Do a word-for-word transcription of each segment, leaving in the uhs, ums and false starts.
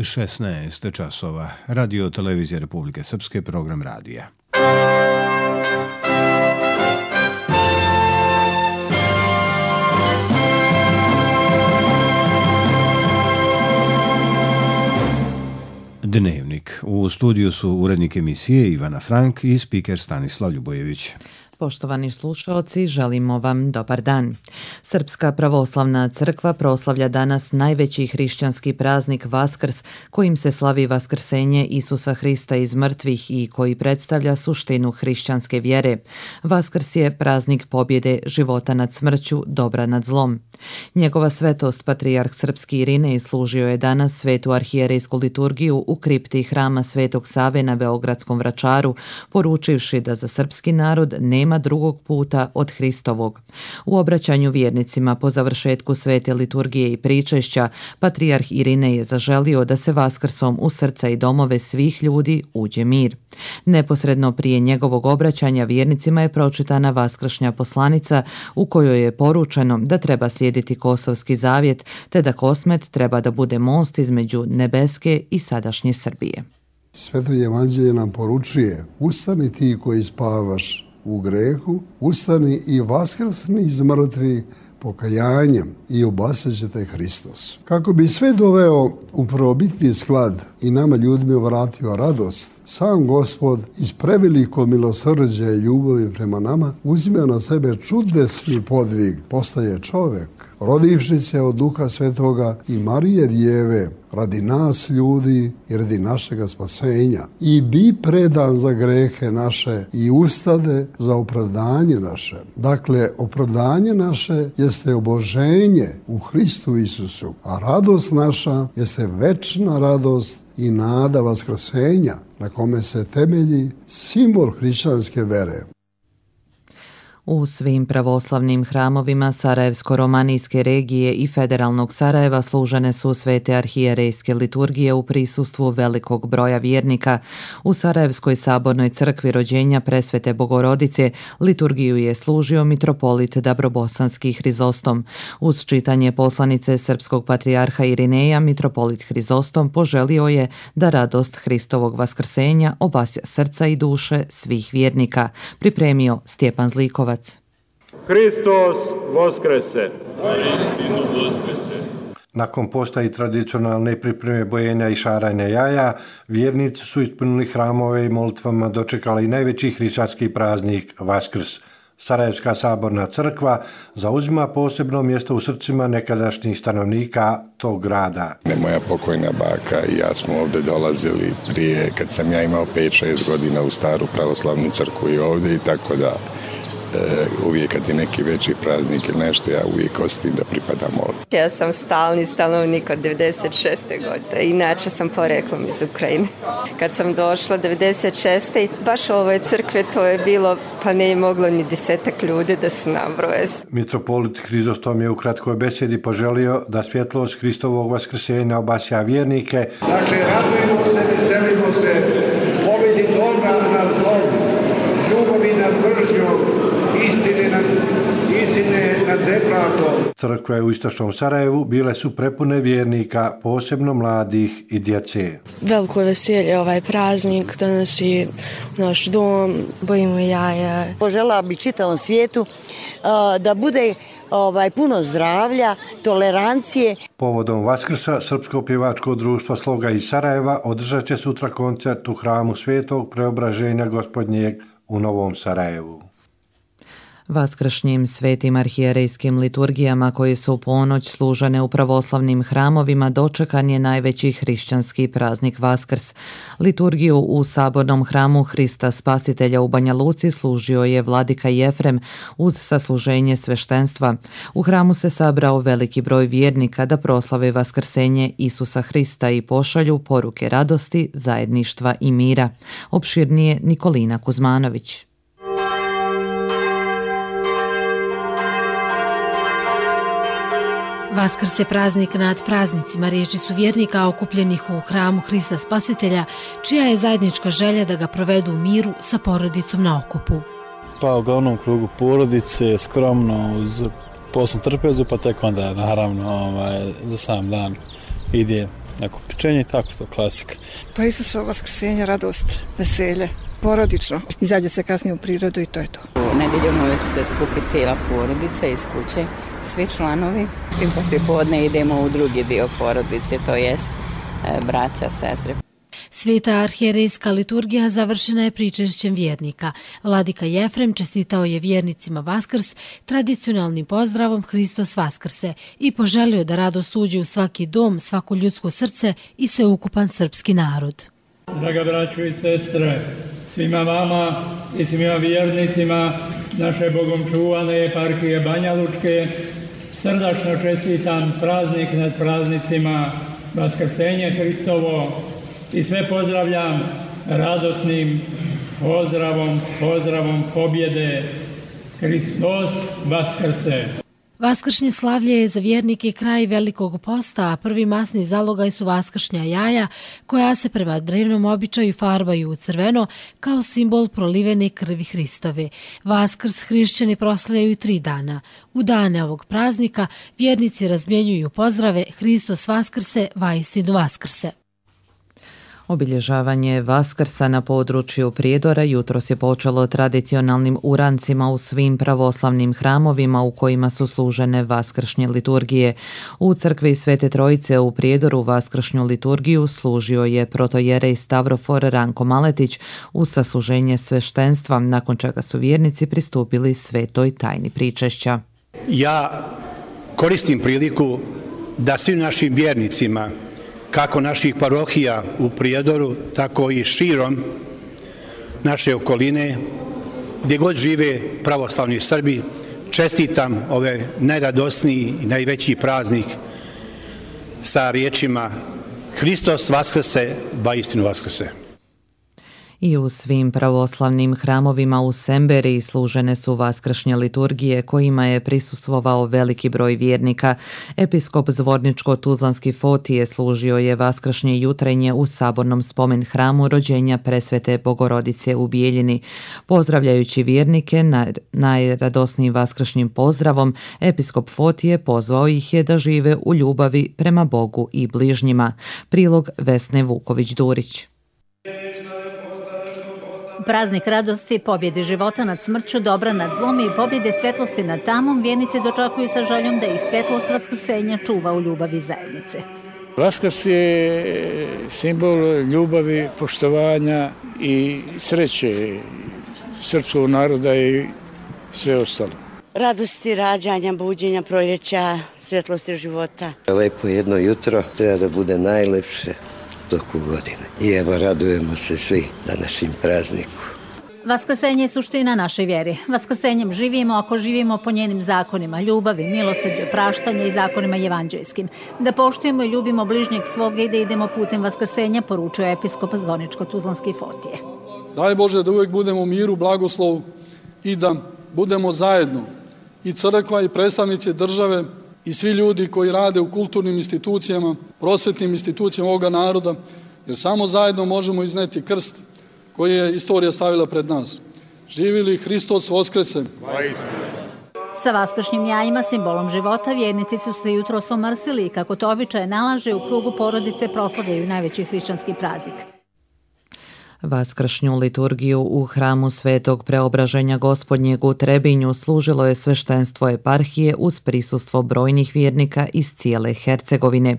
šesnaest časova. Radio Televizija Republike Srpske, program radija. Dnevnik. U studiju su urednik emisije Ivana Frank i spiker Stanislav Ljubojević. Poštovani slušaoci, želimo vam dobar dan. Srpska pravoslavna crkva proslavlja danas najveći hrišćanski praznik Vaskrs, kojim se slavi vaskrsenje Isusa Hrista iz mrtvih i koji predstavlja suštinu hrišćanske vjere. Vaskrs je praznik pobjede života nad smrću, dobra nad zlom. Njegova svetost, patrijarh srpski Irinej, služio je danas svetu arhijerejsku liturgiju u kripti hrama Svetog Save na Beogradskom Vračaru, poručivši da za srpski narod nema drugog puta od Hristovog. U obraćanju vjernicima po završetku svete liturgije i pričešća, patrijarh Irinej je zaželio da se Vaskrsom u srca i domove svih ljudi uđe mir. Neposredno prije njegovog obraćanja vjernicima je pročitana vaskršnja poslanica u kojoj je poručeno da treba slijediti Kosovski zavjet, te da Kosmet treba da bude most između nebeske i sadašnje Srbije. Sveto evanđelje nam poručuje: ustani ti koji spavaš u grehu, ustani i vaskrsni iz mrtvih pokajanjem i obasat će te Hristos. Kako bi sve doveo u prvobitni sklad i nama ljudima vratio radost, sam Gospod iz prevelikog milosrđa i ljubavi prema nama uzme na sebe čudesni podvig, postaje čovjek, rodivši se od Duha Svetoga i Marije Djeve, radi nas ljudi i radi našega spasenja, i bi predan za grehe naše i ustade za opravdanje naše. Dakle, opravdanje naše jeste oboženje u Hristu Isusu, a radost naša jeste večna radost i nada vaskrsenja, na kome se temelji simbol hrišćanske vere. U svim pravoslavnim hramovima Sarajevsko-romanijske regije i federalnog Sarajeva služene su svete arhijerejske liturgije u prisustvu velikog broja vjernika. U Sarajevskoj sabornoj crkvi rođenja Presvete Bogorodice liturgiju je služio mitropolit Dabrobosanski Hrizostom. Uz čitanje poslanice srpskog patrijarha Irineja, mitropolit Hrizostom poželio je da radost Hristovog vaskrsenja obasja srca i duše svih vjernika. Pripremio Stjepan Zlikovac. Hristos Voskrese! Nakon posta i tradicionalne pripreme bojenja i šaranja jaja, vjernici su ispunili hramove i molitvama dočekali najveći hrišćanski praznik Vaskrs. Sarajevska saborna crkva zauzima posebno mjesto u srcima nekadašnjih stanovnika tog grada. Moja pokojna baka i ja smo ovdje dolazili prije, kad sam ja imao pet šest godina, u staru pravoslavnu crkvu i ovdje, i tako da E, uvijek kad je neki veći praznik ili nešto, ja uvijek osjetim da pripadam ovdje. Ja sam stalni stanovnik od devedeset šeste godine, inače sam poreklom iz Ukrajine. Kad sam došla devedeset šeste baš u ovoj crkve to je bilo, pa ne je moglo ni desetak ljudi da se nabroje. Mitropolit Hrizostom je u kratkoj besedi poželio da svjetlost Hristovog vaskrsenja obasja vjernike. Dakle, radujemo se, veselimo se, pobjedi dobra nad zlom, ljubavi nad mržnjom, istine nad, istine nad nepravdom. Crkve u istočnom Sarajevu bile su prepune vjernika, posebno mladih i djece. Veliko veselje ovaj praznik donosi u naš dom, bojimo jaja. Požela bi čitavom svijetu uh, da bude ovaj puno zdravlja, tolerancije. Povodom Vaskrsa Srpsko pjevačko društvo Sloga iz Sarajeva održat će sutra koncert u hramu Svetog Preobraženja Gospodnjeg u Novom Sarajevu. Vaskršnjim svetim arhijerejskim liturgijama koje su u ponoć služene u pravoslavnim hramovima dočekan je najveći hrišćanski praznik Vaskrs. Liturgiju u sabornom hramu Hrista Spasitelja u Banja Luci služio je vladika Jefrem uz sasluženje sveštenstva. U hramu se sabrao veliki broj vjernika da proslave vaskrsenje Isusa Hrista i pošalju poruke radosti, zajedništva i mira. Opširnije Nikolina Kuzmanović. Vaskrs je praznik nad praznicima, riječi su vjernika okupljenih u hramu Hrista Spasitelja, čija je zajednička želja da ga provedu u miru sa porodicom na okupu. Pa u glavnom krugu porodice, skromno, uz poslu trpezu, pa tek onda naravno ovaj, za sam dan ide neko pečenje i tako to, klasika. Pa Isusovo vaskrsenje, radost, veselje, porodično. Izađe se kasnije u prirodu i to je to. U nedjeljom uvijek se skupi cijela porodica iz kuće, svi članovi. I poslije podne idemo u drugi dio porodice, to jest e, braća, sestre. Sveta arhijerejska liturgija završena je pričešćem vjernika. Vladika Jefrem čestitao je vjernicima Vaskrs tradicionalnim pozdravom Hristos Vaskrse i poželio da radost uđe u svaki dom, svako ljudsko srce i sveukupan srpski narod. Draga braćo i sestre, svima vama i svima vjernicima naše Bogom čuvane eparhije Banja Lučke srdačno čestitam praznik nad praznicima, Vaskrsenje Hristovo, i sve pozdravljam radosnim pozdravom, pozdravom pobjede. Hristos Vaskrse! Vaskršnje slavlje je za vjernike kraj Velikog posta, a prvi masni zalogaj su vaskršnja jaja, koja se prema drevnom običaju farbaju u crveno kao simbol prolivene krvi Hristove. Vaskrs hrišćani proslavljaju tri dana. U dane ovog praznika vjernici razmjenjuju pozdrave Hristos Vaskrse, vaistinu Vaskrse. Obilježavanje Vaskrsa na području Prijedora jutros je počelo tradicionalnim urancima u svim pravoslavnim hramovima u kojima su služene vaskršnje liturgije. U crkvi Svete Trojice u Prijedoru vaskršnju liturgiju služio je protojerej Stavrofor Ranko Maletić uz sasluženje sveštenstva, nakon čega su vjernici pristupili svetoj tajni pričešća. Ja koristim priliku da svim našim vjernicima, kako naših parohija u Prijedoru, tako i širom naše okoline, gdje god žive pravoslavni Srbi, čestitam ove najradosniji i najveći praznik sa riječima Hristos Vaskrse, vaistinu Vaskrse. I u svim pravoslavnim hramovima u Semberiji služene su vaskršnje liturgije kojima je prisustvovao veliki broj vjernika. Episkop Zvorničko-Tuzlanski Fotije služio je vaskršnje jutrenje u sabornom spomen hramu rođenja Presvete Bogorodice u Bijeljini. Pozdravljajući vjernike najradosnijim vaskršnjim pozdravom, episkop Fotije pozvao ih je da žive u ljubavi prema Bogu i bližnjima. Prilog Vesne Vuković-Durić. Praznik radosti, pobjede života nad smrću, dobra nad zlom i pobjede svetlosti nad tamom vjernici dočekuju sa željom da ih svetlost vaskrsenja čuva u ljubavi zajednice. Vaskrs je simbol ljubavi, poštovanja i sreće srpskog naroda i sve ostalo. Radosti rađanja, buđenja, proljeća, svetlosti života. Lepo jedno jutro treba da bude najlepše toku godine. I evo, radujemo se svi današnjim prazniku. Vaskrsenje je suština naše vjere. Vaskrsenjem živimo ako živimo po njenim zakonima, ljubavi, milosrđe, praštanja i zakonima evanđelskim. Da poštujemo i ljubimo bližnjeg svoga i da idemo putem vaskrsenja, poručuje episkop Zvorničko-Tuzlanski Fotije. Daj Bože da uvijek budemo u miru, blagoslovu i da budemo zajedno, i crkva i predstavnici države i svi ljudi koji rade u kulturnim institucijama, prosvetnim institucijama ovoga naroda, jer samo zajedno možemo izneti krst koji je istorija stavila pred nas. Živili Hristos Vaskrse! Sa vaskršnjim jajima, simbolom života, vjernici su se jutros omrsili i kako to običaj nalaže, u krugu porodice proslavljaju najveći hrišćanski praznik. Vaskršnju liturgiju u hramu Svetog Preobraženja Gospodnjeg u Trebinju služilo je sveštenstvo eparhije uz prisustvo brojnih vjernika iz cijele Hercegovine.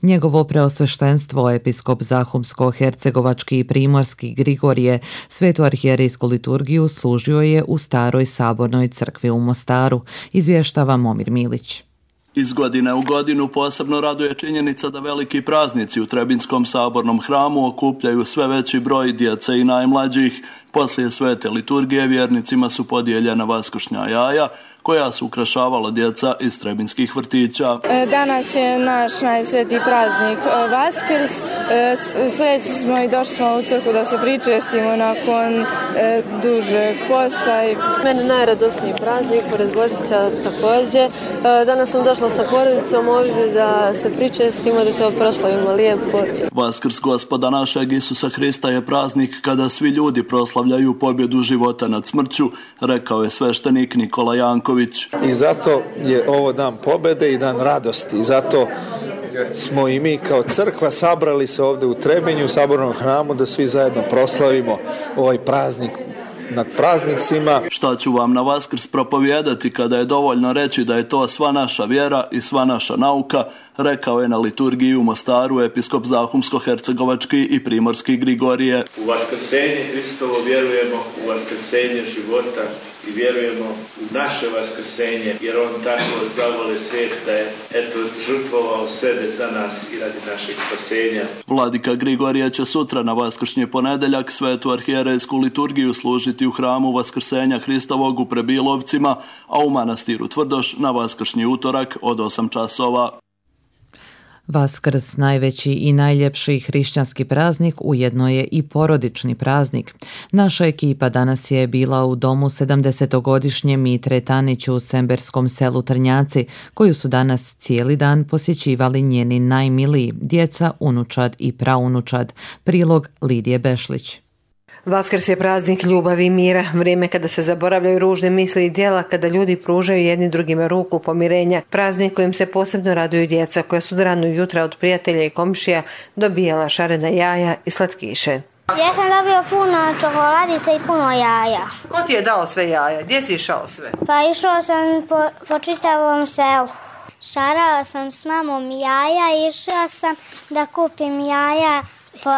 Njegovo preosveštenstvo, episkop Zahumsko-hercegovački i primorski Grigorije, svetu arhijerejsku liturgiju služio je u staroj sabornoj crkvi u Mostaru, izvještava Momir Milić. Iz godine u godinu posebno raduje činjenica da veliki praznici u Trebinskom sabornom hramu okupljaju sve veći broj djece i najmlađih. Poslije svete liturgije vjernicima su podijeljena vaskršnja jaja koja su ukrašavala djeca iz trebinskih vrtića. Danas je naš najsvetiji praznik Vaskrs. Srećni smo i došli smo u crkvu da se pričestimo nakon dužeg posta. Meni najradosniji praznik, pored Božića također. Danas sam došla sa porodicom ovdje da se pričestimo, da to proslavimo lijepo. Vaskrs Gospoda našeg Isusa Hrista je praznik kada svi ljudi proslavljaju pobjedu života nad smrću, rekao je sveštenik Nikola Janković. I zato je ovo dan pobjede i dan radosti. I zato smo i mi kao crkva sabrali se ovdje u Trebinju, u Sabornom hramu, da svi zajedno proslavimo ovaj praznik nad praznicima. Šta ću vam na Vaskrs propovijedati kada je dovoljno reći da je to sva naša vjera i sva naša nauka, rekao je na liturgiji u Mostaru episkop Zahumsko-hercegovački i primorski Grigorije. U vaskrsenje Hristovo vjerujemo, u vaskrsenje života i vjerujemo u naše vaskrsenje, jer on tako zavole svijet da je eto žrtvovao sebe za nas i radi našeg spasenja. Vladika Grigorije će sutra na vaskršnji ponedeljak svetu arhijerejsku liturgiju služiti u hramu Vaskrsenja Hristovog u Prebilovcima, a u manastiru Tvrdoš na vaskršnji utorak od osam časova. Vaskrs, najveći i najljepši hrišćanski praznik, ujedno je i porodični praznik. Naša ekipa danas je bila u domu sedamdesetogodišnje Mitre Tanić u semberskom selu Trnjaci, koju su danas cijeli dan posjećivali njeni najmiliji, djeca, unučad i praunučad. Prilog Lidije Bešlić. Vaskrs je praznik ljubavi i mira, vrijeme kada se zaboravljaju ružne misli i djela, kada ljudi pružaju jedni drugima ruku pomirenja. Praznik kojim se posebno raduju djeca koja su do ranog jutra od prijatelja i komšija dobijala šarena jaja i slatkiše. Ja sam dobio puno čokoladica i puno jaja. Ko ti je dao sve jaja? Gdje si išao sve? Pa išao sam po, po čitavom selu. Šarala sam s mamom jaja, išla sam da kupim jaja po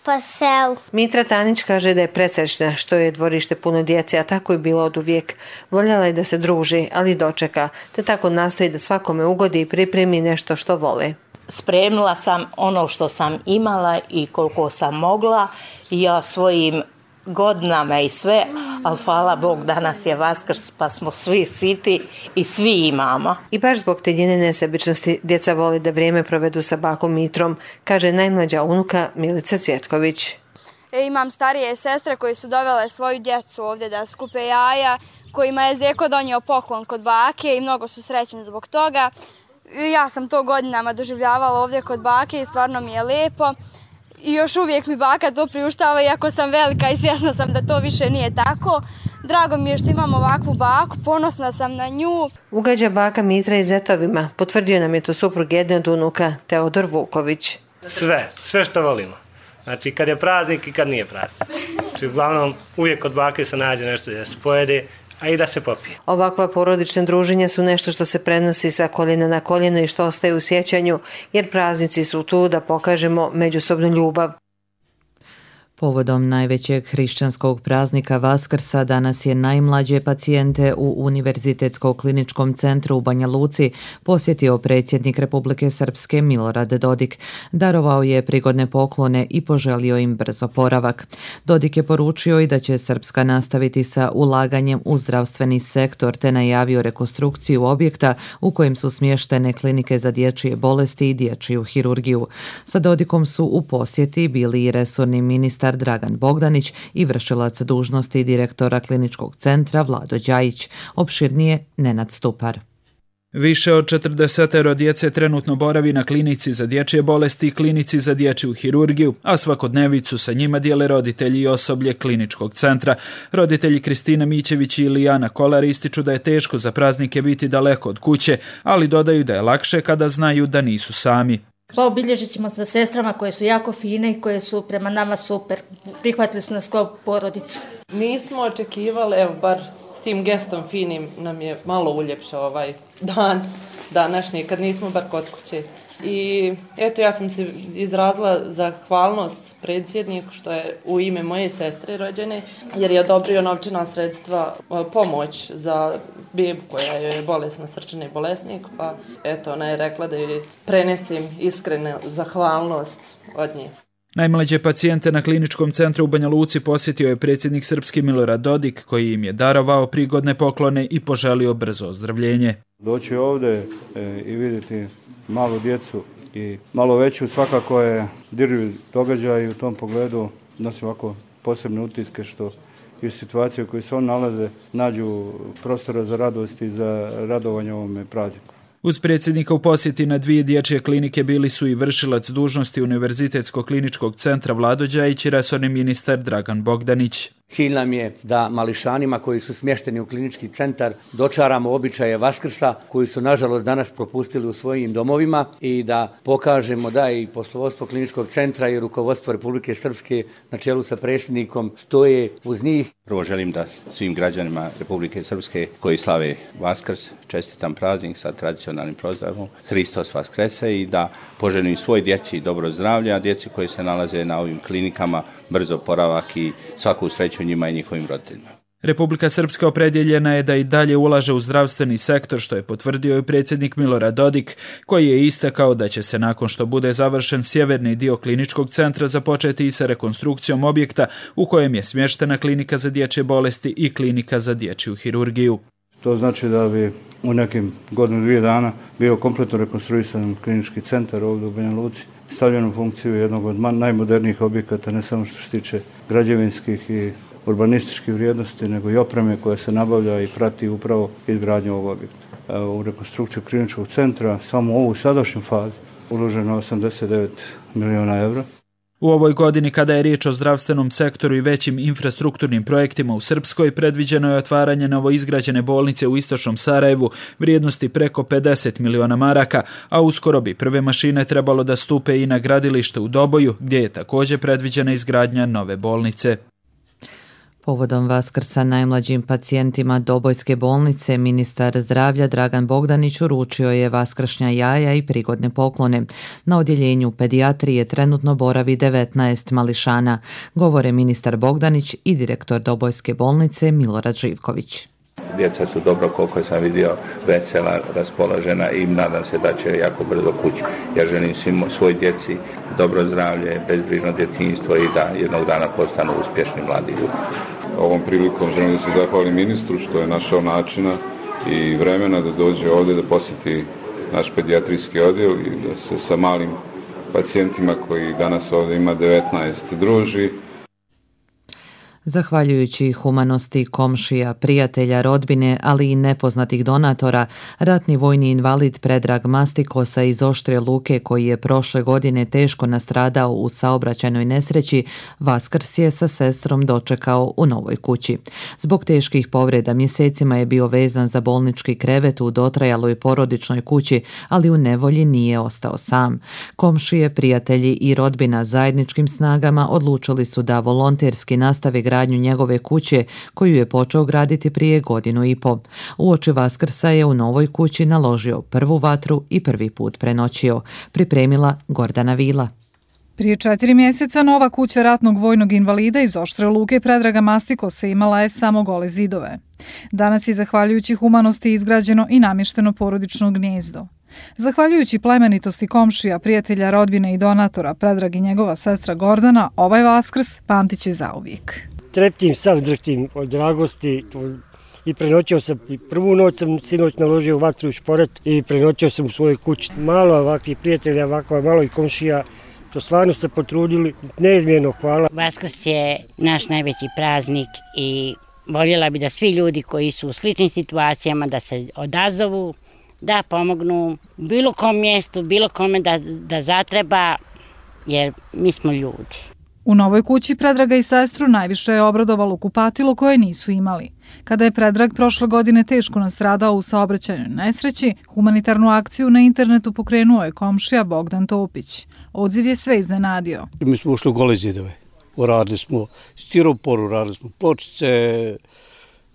pa selu. Mitra Tanić kaže da je presrećna što je dvorište puno djece, a tako je bilo od uvijek. Voljela je da se druži, ali dočeka, te tako nastoji da svakome ugodi i pripremi nešto što vole. Spremila sam ono što sam imala i koliko sam mogla i ja svojim godinama i sve, ali hvala Bog, danas je Vaskrs pa smo svi siti i svi imamo. I baš zbog te njene nesebičnosti djeca voli da vrijeme provedu sa bakom Mitrom, kaže najmlađa unuka Milica Cvjetković. E, imam starije sestre koje su dovele svoju djecu ovdje da skupe jaja, kojima je Zeko donio poklon kod bake i mnogo su srećni zbog toga. Ja sam to godinama doživljavala ovdje kod bake i stvarno mi je lijepo. I još uvijek mi baka to priuštava, iako sam velika i svjesna sam da to više nije tako. Drago mi je što imam ovakvu baku, ponosna sam na nju. Ugađa baka Mitra i zetovima, potvrdio nam je to suprug jedne od unuka, Teodor Vuković. Sve, sve što volimo. Znači kad je praznik i kad nije praznik. Znači uglavnom uvijek kod bake se nađe nešto da se pojede, a i da se popije. Ovakva porodična druženja su nešto što se prenosi sa koljena na koljeno i što ostaje u sjećanju, jer praznici su tu da pokažemo međusobnu ljubav. Povodom najvećeg hrišćanskog praznika Vaskrsa danas je najmlađe pacijente u Univerzitetsko kliničkom centru u Banja Luci posjetio predsjednik Republike Srpske Milorad Dodik. Darovao je prigodne poklone i poželio im brz oporavak. Dodik je poručio i da će Srpska nastaviti sa ulaganjem u zdravstveni sektor te najavio rekonstrukciju objekta u kojem su smještene klinike za dječje bolesti i dječju hirurgiju. Sa Dodikom su u posjeti bili i resorni ministar Dragan Bogdanić i vršilac dužnosti direktora kliničkog centra Vlado Đajić. Opširnije Nenad Stupar. Više od četrdesetero djece trenutno boravi na klinici za dječje bolesti i klinici za dječju hirurgiju, a svakodnevicu sa njima dijele roditelji i osoblje kliničkog centra. Roditelji Kristina Mićević i Ilijana Kolar ističu da je teško za praznike biti daleko od kuće, ali dodaju da je lakše kada znaju da nisu sami. Pa obilježit ćemo sa sestrama koje su jako fine i koje su prema nama super. Prihvatili su nas kao porodicu. Nismo očekivali, evo bar tim gestom finim nam je malo uljepšao ovaj dan današnji kad nismo bar kod kuće. I eto ja sam se izrazila zahvalnost predsjedniku što je u ime moje sestre rođene jer je odobrio novčana sredstva pomoć za bebu koja je bolesna, srčani bolesnik, pa eto ona je rekla da joj prenesem iskrenu zahvalnost od nje. Najmlađe pacijente na kliničkom centru u Banja Luci posjetio je predsjednik Srpski Milorad Dodik koji im je darovao prigodne poklone i poželio brzo ozdravljenje. Doći ovdje e, i vidjeti malu djecu i malo veću svakako je dirljiv događaj i u tom pogledu nosi ovako posebne utiske što i u situaciji u kojoj se on nalaze nađu prostora za radost i za radovanje ovome prazniku. Uz predsjednika u posjeti na dvije dječje klinike bili su i vršilac dužnosti Univerzitetskog kliničkog centra Vlado Đajić i resorni ministar Dragan Bogdanić. Cilj nam je da mališanima koji su smješteni u klinički centar dočaramo običaje Vaskrsa koji su nažalost danas propustili u svojim domovima i da pokažemo da i poslovodstvo kliničkog centra i rukovodstvo Republike Srpske na čelu sa predsjednikom stoje uz njih. Prvo želim da svim građanima Republike Srpske koji slave Vaskrs čestitam praznik sa tradicionalnim pozdravom Hristos Vaskrese i da poželim svoj djeci dobro zdravlje, a djeci koji se nalaze na ovim klinikama brzo oporavak i svaku sreću njima i njihovim roditeljima. Republika Srpska opredjeljena je da i dalje ulaže u zdravstveni sektor, što je potvrdio i predsjednik Milorad Dodik, koji je istakao da će se nakon što bude završen sjeverni dio kliničkog centra započeti i sa rekonstrukcijom objekta u kojem je smještena klinika za dječje bolesti i klinika za dječju hirurgiju. To znači da bi u nekim godinu dvije dana bio kompletno rekonstruisan klinički centar ovdje u Banja Luci, stavljen u funkciju jednog od najmodernijih objekata, ne samo što se tiče građevinskih i urbanističkih vrijednosti, nego i opreme koja se nabavlja i prati upravo izgradnju ovog objekta. U rekonstrukciju kliničkog centra samo u ovu sadašnju fazu uloženo osamdeset devet miliona evra. U ovoj godini, kada je riječ o zdravstvenom sektoru i većim infrastrukturnim projektima u Srpskoj, predviđeno je otvaranje novoizgrađene bolnice u istočnom Sarajevu vrijednosti preko pedeset miliona maraka, a uskoro bi prve mašine trebalo da stupe i na gradilište u Doboju, gdje je također predviđena izgradnja nove bolnice. Povodom Vaskrsa najmlađim pacijentima Dobojske bolnice ministar zdravlja Dragan Bogdanić uručio je vaskršnja jaja i prigodne poklone. Na odjeljenju pedijatrije trenutno boravi devetnaest mališana, govore ministar Bogdanić i direktor Dobojske bolnice Milorad Živković. Djeca su dobro, koliko sam vidio, vesela, raspoložena i nadam se da će jako brzo kući. Ja želim svim svoj djeci dobro zdravlje, bezbrižno djetinjstvo i da jednog dana postanu uspješni mladi ljudi. Ovom prilikom želim da se zahvalim ministru što je našao načina i vremena da dođe ovdje da posjeti naš pedijatrijski odjel i da se sa malim pacijentima koji danas ovdje ima devetnaest druži. Zahvaljujući humanosti komšija, prijatelja, rodbine, ali i nepoznatih donatora, ratni vojni invalid Predrag Mastikosa iz Oštre Luke, koji je prošle godine teško nastradao u saobraćajnoj nesreći, Vaskrs je sa sestrom dočekao u novoj kući. Zbog teških povreda mjesecima je bio vezan za bolnički krevet u dotrajaloj porodičnoj kući, ali u nevolji nije ostao sam. Komšije, prijatelji i rodbina zajedničkim snagama odlučili su da volonterski nastave gradnju njegove kuće, koju je počeo graditi prije godinu i po. Uoči Vaskrsa je u novoj kući naložio prvu vatru i prvi put prenoćio. Pripremila Gordana Vila. Prije četiri mjeseca nova kuća ratnog vojnog invalida iz Oštre Luke Predraga Mastikosa imala je samo gole zidove. Danas je zahvaljujući humanosti izgrađeno i namješteno porodično gnijezdo. Zahvaljujući plemenitosti komšija, prijatelja, rodbine i donatora, Predrag i njegova sestra Gordana, ovaj Vaskrs pamtit će zauvijek. Treptim, sam drhtim od dragosti i prenoćio sam, i prvu noć sam sinoć naložio vatru u šporet i prenoćio sam u svojoj kući. Malo ovakvih prijatelja, ovako malo i komšija, to stvarno ste potrudili, neizmjerno hvala. Vaskrs je naš najveći praznik i voljela bi da svi ljudi koji su u sličnim situacijama da se odazovu, da pomognu bilo kom mjestu, bilo kome da, da zatreba, jer mi smo ljudi. U novoj kući Predraga i sestru najviše je obradovalo kupatilo koje nisu imali. Kada je Predrag prošle godine teško nastradao u saobraćajnoj nesreći, humanitarnu akciju na internetu pokrenuo je komšija Bogdan Topić. Odziv je sve iznenadio. Mi smo ušli u gole zidove. Uradili smo stiropor, uradili smo pločice,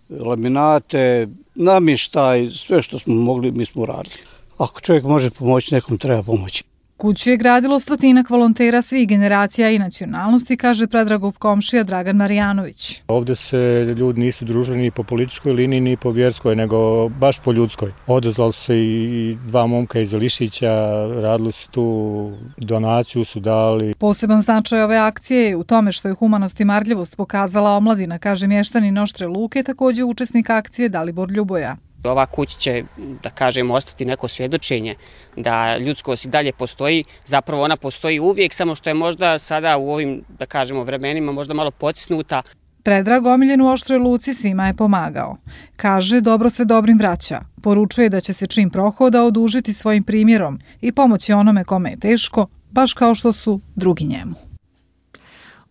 laminate, namještaj, sve što smo mogli mi smo uradili. Ako čovjek može pomoći, nekom treba pomoći. Kuću je gradilo stotinak volontera svih generacija i nacionalnosti, kaže Predragov komšija Dragan Marijanović. Ovdje se ljudi nisu družili ni po političkoj liniji, ni po vjerskoj, nego baš po ljudskoj. Odazvali su se i dva momka iz Lišića, radili su tu donaciju, su dali. Poseban značaj ove akcije je u tome što je humanost i marljivost pokazala omladina, kaže mještanin Oštre Luke, također učesnik akcije Dalibor Ljuboja. Ova kuća će, da kažemo, ostati neko svjedočenje da ljudskost i dalje postoji. Zapravo ona postoji uvijek, samo što je možda sada u ovim, da kažemo, vremenima možda malo potisnuta. Predrag omiljen u Oštroj Luci svima je pomagao. Kaže, dobro se dobrim vraća. Poručuje da će se čim prohoda odužiti svojim primjerom i pomoći onome kome je teško, baš kao što su drugi njemu.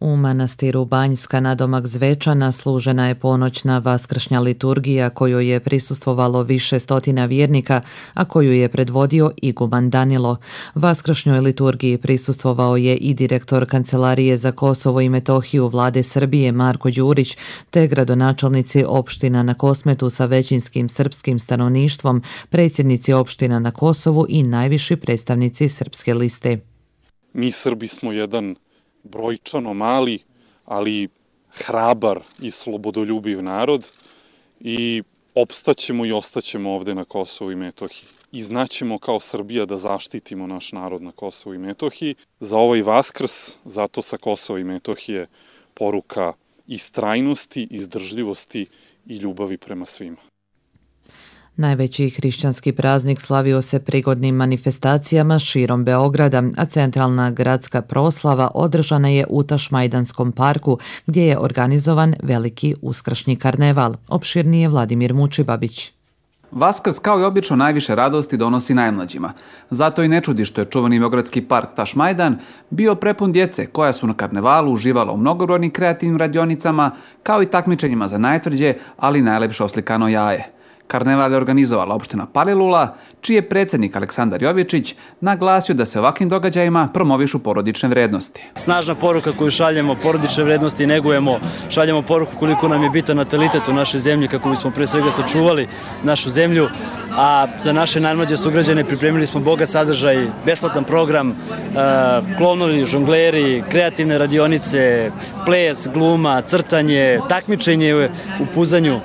U manastiru Banjska nadomak Zvečana služena je ponoćna vaskršnja liturgija kojoj je prisustvovalo više stotina vjernika, a koju je predvodio iguman Danilo. Vaskršnjoj liturgiji prisustvovao je i direktor Kancelarije za Kosovo i Metohiju Vlade Srbije Marko Đurić, te gradonačelnici opština na Kosmetu sa većinskim srpskim stanovništvom, predsjednici opština na Kosovu i najviši predstavnici Srpske liste. Mi Srbi smo jedan brojčano mali, ali hrabar i slobodoljubiv narod i opstaćemo i ostaćemo ovde na Kosovu i Metohiji. I znaćemo kao Srbija da zaštitimo naš narod na Kosovu i Metohiji. Za ovaj Vaskrs, zato sa Kosova i Metohije poruka istrajnosti, izdržljivosti i ljubavi prema svima. Najveći hrišćanski praznik slavio se prigodnim manifestacijama širom Beograda, a centralna gradska proslava održana je u Tašmajdanskom parku, gdje je organizovan veliki uskršnji karneval. Opširnije Vladimir Mučibabić. Vaskrs kao i obično najviše radosti donosi najmlađima. Zato i ne čudi što je čuvani beogradski park Tašmajdan bio prepun djece koja su na karnevalu uživala u mnogobrojnim kreativnim radionicama, kao i takmičenjima za najtvrđe, ali najlepše oslikano jaje. Karneval je organizovala opština Palilula, čiji je predsjednik Aleksandar Jovičić naglasio da se ovakvim događajima promovišu porodične vrednosti. Snažna poruka koju šaljemo, porodične vrednosti negujemo, šaljemo poruku koliko nam je bitan natalitet u našoj zemlji, kako bismo pre svega sačuvali našu zemlju, a za naše najmlađe sugrađane pripremili smo bogat sadržaj, besplatan program, klovnovi, žongleri, kreativne radionice, ples, gluma, crtanje, takmičenje u puzanju.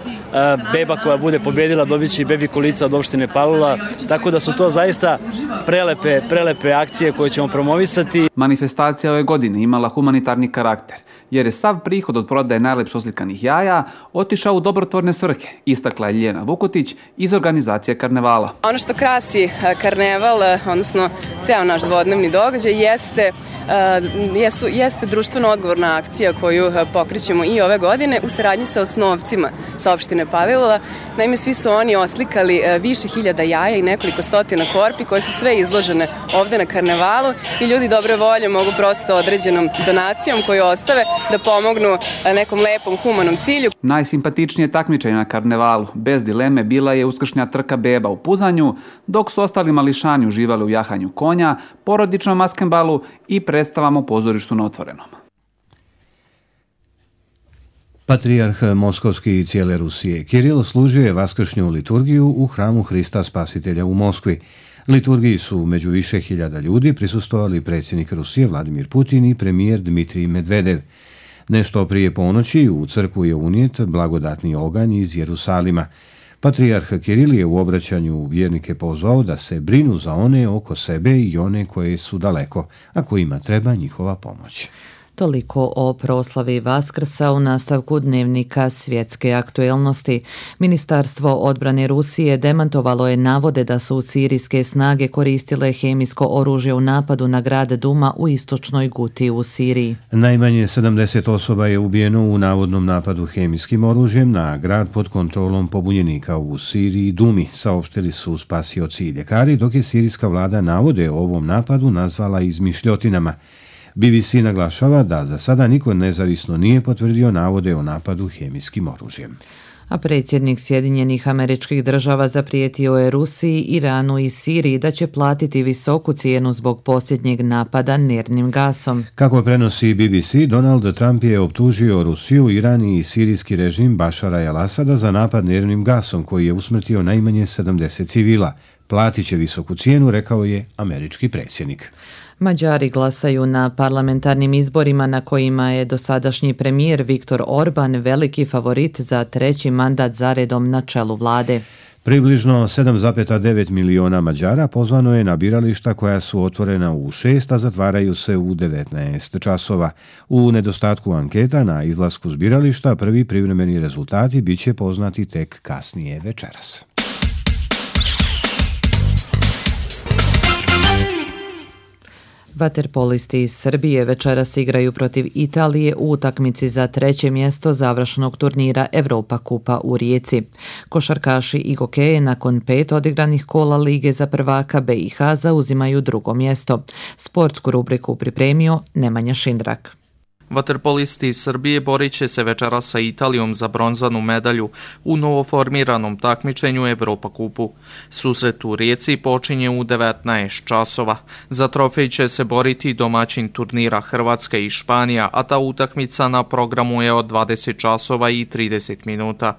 Beba koja bude pobjedila dobit će i bebi kolica od opštine Palilula, tako da su to zaista prelepe, prelepe akcije koje ćemo promovisati. Manifestacija ove godine imala humanitarni karakter, jer je sav prihod od prodaje najlepše oslikanih jaja otišao u dobrotvorne svrhe, istakla je Ljena Vukotić iz organizacije karnevala. Ono što krasi karneval, odnosno ceo naš dvodnevni događaj, jeste, jesu, jeste društveno odgovorna akcija koju pokrećemo i ove godine u saradnji sa osnovcima sa opštine Palilula. Naime, svi su oni oslikali više hiljada jaja i nekoliko stotina korpi koje su sve izložene ovde na karnevalu i ljudi dobre volje mogu prosto određenom donacijom koju ostave da pomognu nekom lepom humanom cilju. Najsimpatičnije takmičenje na karnevalu, bez dileme, bila je uskršnja trka beba u puzanju, dok su ostali mališani uživali u jahanju konja, porodičnom maskembalu i predstavama u pozorištu na otvorenom. Patrijarh Moskovski i cijele Rusije Kiril služio je vaskršnju liturgiju u hramu Hrista Spasitelja u Moskvi. Liturgiji su među više hiljada ljudi prisustvovali predsjednik Rusije Vladimir Putin i premijer Dmitrij Medvedev. Nešto prije ponoći u crkvu je unijet blagodatni oganj iz Jerusalima. Patrijarh Kiril je u obraćanju vjernike pozvao da se brinu za one oko sebe i one koje su daleko, a kojima treba njihova pomoć. Toliko o proslavi Vaskrsa u nastavku dnevnika svjetske aktuelnosti. Ministarstvo odbrane Rusije demantovalo je navode da su sirijske snage koristile hemijsko oružje u napadu na grad Duma u istočnoj Guti u Siriji. Najmanje sedamdeset osoba je ubijeno u navodnom napadu hemijskim oružjem na grad pod kontrolom pobunjenika u Siriji Dumi, saopštili su spasioci i ljekari, dok je sirijska vlada navode o ovom napadu nazvala izmišljotinama. B B C naglašava da za sada niko nezavisno nije potvrdio navode o napadu hemijskim oružjem. A predsjednik Sjedinjenih Američkih Država zaprijetio je Rusiji, Iranu i Siriji da će platiti visoku cijenu zbog posljednjeg napada nervnim gasom. Kako prenosi B B C, Donald Trump je optužio Rusiju, Iran i sirijski režim Bašara el-Asada za napad nervnim gasom koji je usmrtio najmanje sedamdeset civila. Platit će visoku cijenu, rekao je američki predsjednik. Mađari glasaju na parlamentarnim izborima na kojima je dosadašnji premijer Viktor Orban veliki favorit za treći mandat zaredom na čelu vlade. Približno sedam zarez devet miliona Mađara pozvano je na birališta koja su otvorena u šest, a zatvaraju se u devetnaest časova. U nedostatku anketa na izlasku s birališta prvi privremeni rezultati bit će poznati tek kasnije večeras. Vaterpolisti iz Srbije večeras igraju protiv Italije u utakmici za treće mjesto završnog turnira Evropa kupa u Rijeci. Košarkaši i gokeje nakon pet odigranih kola Lige za prvaka B i H zauzimaju drugo mjesto. Sportsku rubriku pripremio Nemanja Šindrak. Vaterpolisti iz Srbije borit će se večeras sa Italijom za bronzanu medalju u novoformiranom takmičenju Evropa kupu. Susret u Rijeci počinje u devetnaest časova. Za trofej će se boriti domaćin turnira Hrvatska i Španija, a ta utakmica na programu je od dvadeset časova i trideset minuta.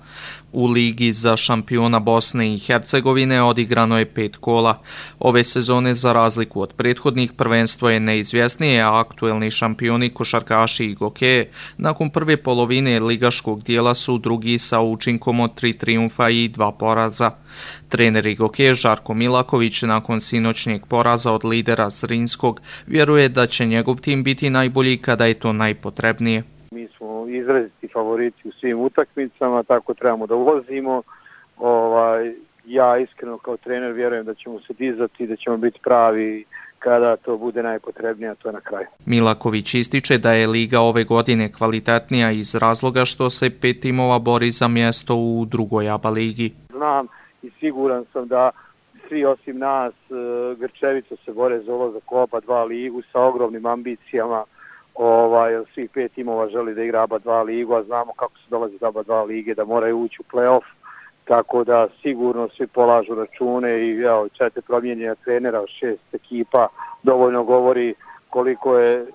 U Ligi za šampiona Bosne i Hercegovine odigrano je pet kola. Ove sezone, za razliku od prethodnih, prvenstvo je neizvjesnije, a aktuelni šampioni košarkaši i gokeje nakon prve polovine ligaškog dijela su drugi sa učinkom od tri trijumfa i dva poraza. Trener Igoke Žarko Milaković nakon sinoćnjeg poraza od lidera Zrinskog vjeruje da će njegov tim biti najbolji kada je to najpotrebnije. Mi smo izraziti favoriti u svim utakmicama, tako trebamo da ulazimo. Ovaj, ja iskreno kao trener vjerujem da ćemo se dizati i da ćemo biti pravi kada to bude najpotrebnije, a to je na kraju. Milaković ističe da je liga ove godine kvalitetnija iz razloga što se pet timova bori za mjesto u drugoj A B A ligi. Znam i siguran sam da svi osim nas grčevito se bore za ulazak u A B A dva ligu sa ogromnim ambicijama. Ovaj, svih pet timova želi da igra A B A dva ligu, a znamo kako se dolazi do A B A dva lige, da moraju ući u play-off, tako da sigurno svi polažu račune i evo, četiri promijenjena trenera, šest ekipa, dovoljno govori koliko je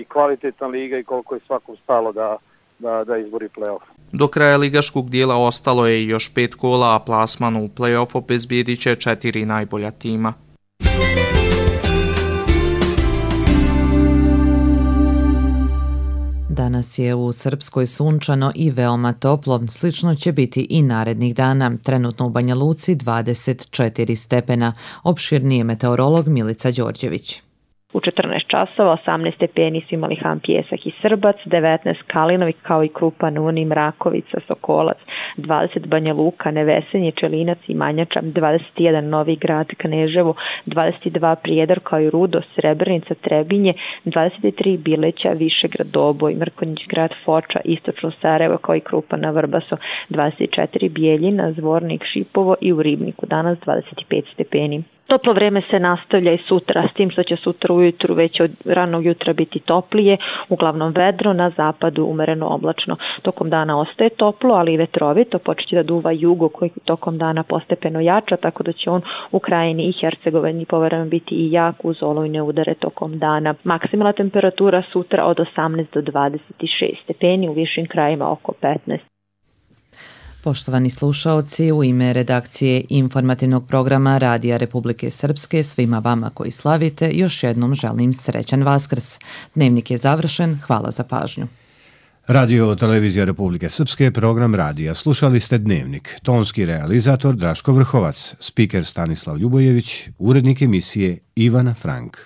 i kvalitetna liga i koliko je svakom stalo da, da, da izbori play-off. Do kraja ligaškog dijela ostalo je još pet kola, a plasman u play-off obezbijedit će četiri najbolja tima. Danas je u Srpskoj sunčano i veoma toplo, slično će biti i narednih dana. Trenutno u Banja Luci dvadeset četiri stepena. Opširnije meteorolog Milica Đorđević. U četrnaest časova osamnaest stepeni su imali Han Pijesak i Srbac, devetnaest Kalinovi kao i Krupan, Unim, Rakovica, Sokolac, dvadeset Banja Luka, Nevesenje, Čelinac i Manjača, dvadeset jedan Novi Grad, Kneževo, dvadeset dva Prijedor kao i Rudo, Srebrenica, Trebinje, dvadeset tri Bileća, Višegrad, Doboj, Mrkonjić Grad, Foča, Istočno Sarajevo kao i Krupana, Vrbaso, dvadeset četiri Bijeljina, Zvornik, Šipovo i u Ribniku danas dvadeset pet stepeni. Toplo vreme se nastavlja i sutra, s tim što će sutra ujutru već od ranog jutra biti toplije, uglavnom vedro, na zapadu umereno oblačno. Tokom dana ostaje toplo, ali i vetrovito, počeće da duva jugo koji tokom dana postepeno jača, tako da će on u Krajini i Hercegovini povremeno biti i jak uz olujne udare tokom dana. Maksimalna temperatura sutra od osamnaest do dvadeset šest stepeni, u višim krajima oko petnaest. Poštovani slušaoci, u ime redakcije informativnog programa Radija Republike Srpske, svima vama koji slavite, još jednom želim srećan Vaskrs. Dnevnik je završen, hvala za pažnju. Radio Televizija Republike Srpske, program radija. Slušali ste Dnevnik. Tonski realizator Draško Vrhovac, spiker Stanislav Ljubojević, urednik emisije Ivana Frank.